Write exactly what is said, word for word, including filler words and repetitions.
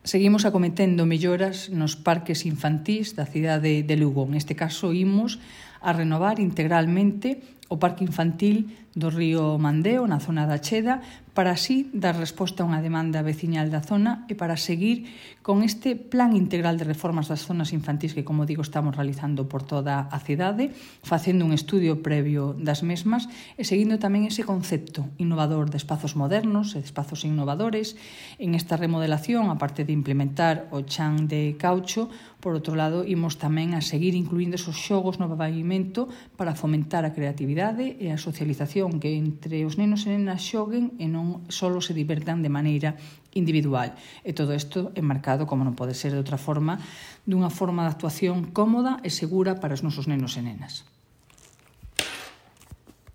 Seguimos acometendo melloras nos parques infantís da cidade de Lugo. Neste caso, imos a renovar integralmente o parque infantil do río Mandeo, na zona da Cheda, para así dar resposta a unha demanda veciñal da zona e para seguir con este plan integral de reformas das zonas infantís que, como digo, estamos realizando por toda a cidade, facendo un estudio previo das mesmas e seguindo tamén ese concepto innovador de espazos modernos e de espazos innovadores. En esta remodelación, aparte de implementar o chan de caucho, por outro lado, imos tamén a seguir incluindo esos xogos no pavimento para fomentar a creatividade e a socialización, que entre os nenos e nenas xoguen e non só se divertan de maneira individual. E todo isto enmarcado, como non pode ser de outra forma, dunha forma de actuación cómoda e segura para os nosos nenos e nenas.